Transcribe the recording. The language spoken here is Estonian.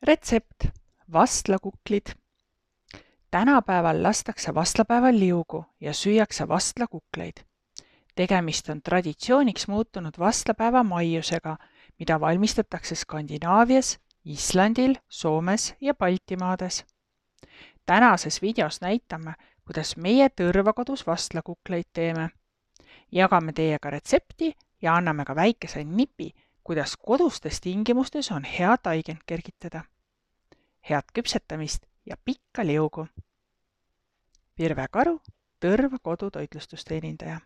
Retsept. Vastlakuklid. Tänapäeval lastakse vastlapäeval liugu ja süüakse vastlakukleid. Tegemist on traditsiooniks muutunud vastlapäeva maiusega, mida valmistatakse Skandinaavias, Islandil, Soomes ja Baltimaades. Tänases videos näitame, kuidas meie tõrvakodus vastlakukleid teeme. Jagame teiega retsepti ja anname ka väikese nipi, kuidas kodustes tingimustes on hea taigend kergitada. Head küpsetamist ja pikka liugu! Virve Karu, Tõrva kodutoitlustusteenindaja.